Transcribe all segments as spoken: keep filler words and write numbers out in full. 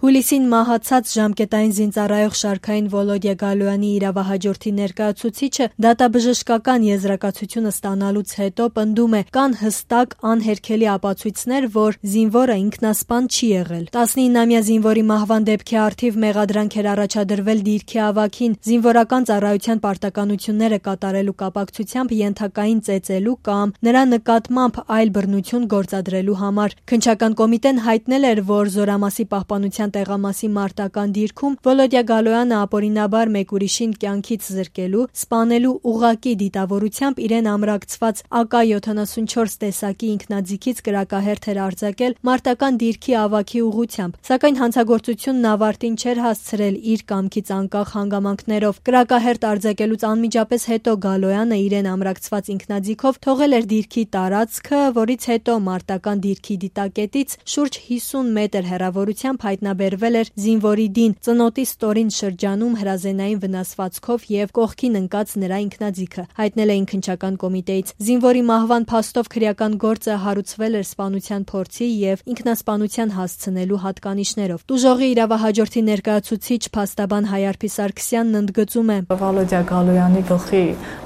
Հուլիսին մահացած ժամկետային զինծառայող շարքային Վոլոդիա Գալոյանի իրավահաջորդի ներկայացուցիչը դատաբժշկական եզրակացությունը ստանալուց հետո պնդում է, կան հստակ անհերքելի ապացույցներ, որ զինվորը ինքնասպան չի եղել։ տասնինամյա զինվորի մահվան դեպքի առթիվ մեղադրանք էր առաջադրվել դիրքի ավագին զինվորական ծառայության պարտականությունները կատարելու կապակցությամբ ենթակային ծեծելու կամ նրա նկատմամբ այլ բռնություն գործադրելու համար։ Քննչական կոմիտեն հայտնել էր, որ զորամասի պահպանության տեղամասի մարտական դիրքում Վոլոդիա Գալոյանը ապօրինաբար մեկ ուրիշին կյանքից զրկելու, սպանելու ուղղակի դիտավորությամբ իրեն ամրակցված ա կա յոթանասունչորս տեսակի ինքնաձիգից կրակահերթ էր արձակել մարտական դիրքի ավագի ուղղությամբ, սակայն հանցագործությունն ավարտին չէր հասցրել իր կամքից անկախ հանգամանքներով։ Կրակահերթ արձակելուց անմիջապես հետո Գալոյանը իրեն ամրակցված ինքնաձիգով թողել էր դիրքի տարածքը, որից հետո մարտական դիրքի դիտակետից շուրջ հիսուն մետր հեռավորությամբ հայտնաբերվել էր զինվորի դին ծնոտի ստորին շրջանում հրազենային վնասվածքով եւ կողքին ընկած նրա ինքնաձիգը, հայտնել էին քննչական կոմիտեից։ Զինվորի մահվան փաստով քրեական գործը հարուցվել էր սպանության փորձի եւ ինքնասպանության հասցնելու հատկանիշներով։ Տուժողի իրավահաջորդի ներկայացուցիչ փաստաբան Հայարփի Սարգսյանն ընդգծում է. Վոլոդիա Գալոյանի գլխի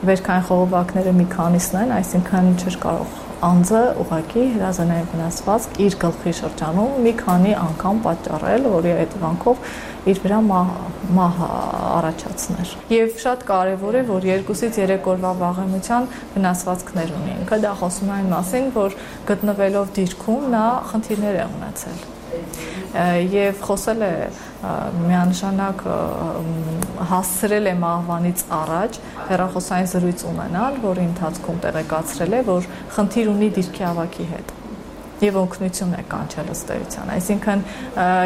վերքային խողովակները մի քանիսն են, այսինքն չէր կարող անձը ուղղակի հրազենային վնասվածք իր գլխի շրջանում մի քանի անգամ պատճառել, որի հետևանքով իր վրա մահ առաջացներ։ Եվ շատ կարևոր է, որ երկուսից երեք օրվա վաղեմության վնասվածքներ ունի։ Ինքը դա խոսում է այն մասին, որ գտնվելով դիրքում նա խնդիրներ է ունեցել եւ խոսել է միանշանակ հասցրել է մահվանից առաջ հեռախոսային զրույց ունենալ, որի ընթացքում տեղեկացրել է, որ խնդիր ունի դիրքի ավագի հետ եւ օգնություն է կանչել ըստ էության։ Այսինքն,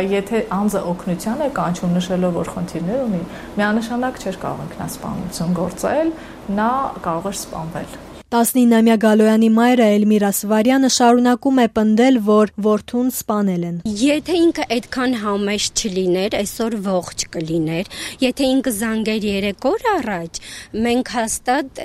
եթե անձը օգնության է կանչում նշելով, որ խնդիրներ ունի, միանշանակ չէր կարող ինքնասպանություն գործել, նա կարող էր սպանվել։ տասնինամյա Գալոյանի մայրը Էլմիրա Սվարյանը շարունակում է պնդել, որ որդուն սպանել են։ Եթե ինքը այդքան համեշ չլիներ, այսօր ողջ կլիներ։ Եթե ինքը զանգեր երեք օր առաջ, մենք հաստատ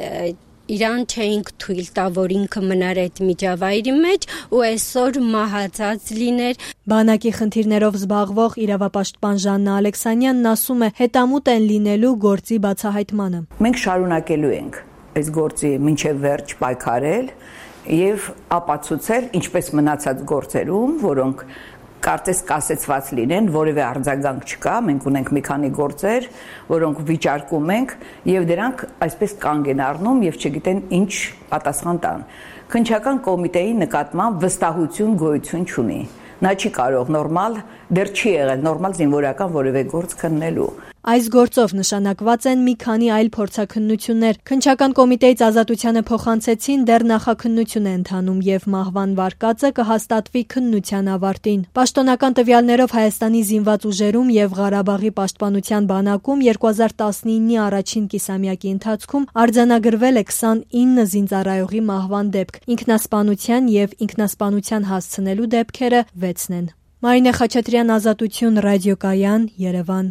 իրան չէինք թույլ տա, որ ինքը մնար այդ միջավայրի մեջ ու այսօր մահացած լիներ։ Բանակի խնդիրներով զբաղվող իրավապաշտպան Ժաննա Ալեքսանյանն ասում է, հետամուտ են լինելու գործի բացահայտմանը։ Մենք շարունակելու ենք այս գործի մինչև վերջ պայքարել եւ ապացուցել, ինչպես մնացած գործերում, որոնք կարծես կասեցված լինեն, որևէ արձագանք չկա, մենք ունենք մի քանի գործեր, որոնք վիճարկում ենք եւ դրանք այսպես կանգ են առնում եւ չգիտեն ինչ պատասխան տան։ Քննչական կոմիտեի նկատմամբ վստահություն գոյություն չունի։ Նա չի կարող նորմալ, դեռ չի եղել նորմալ զինվորական որևէ գործ քննելու։ Այս գործով նշանակված են մի քանի այլ փորձաքննություններ։ Քննչական կոմիտեից ազատությանը փոխանցեցին, դեռ նախաքննություն է ընթանում եւ մահվան վարկածը կհաստատվի քննության ավարտին։ Պաշտոնական տվյալներով Հայաստանի զինված ուժերում եւ Ղարաբաղի պաշտպանության բանակում երկու հազար տասնինի առաջին կիսամյակի ընթացքում արձանագրվել է քսանինը զինծառայողի մահվան դեպք։ Ինքնասպանության եւ ինքնասպանության հասցնելու դեպքերը վեցն են։ Մարինե Խաչատրյան, Ազատություն, ռադիոկայան, Երևան։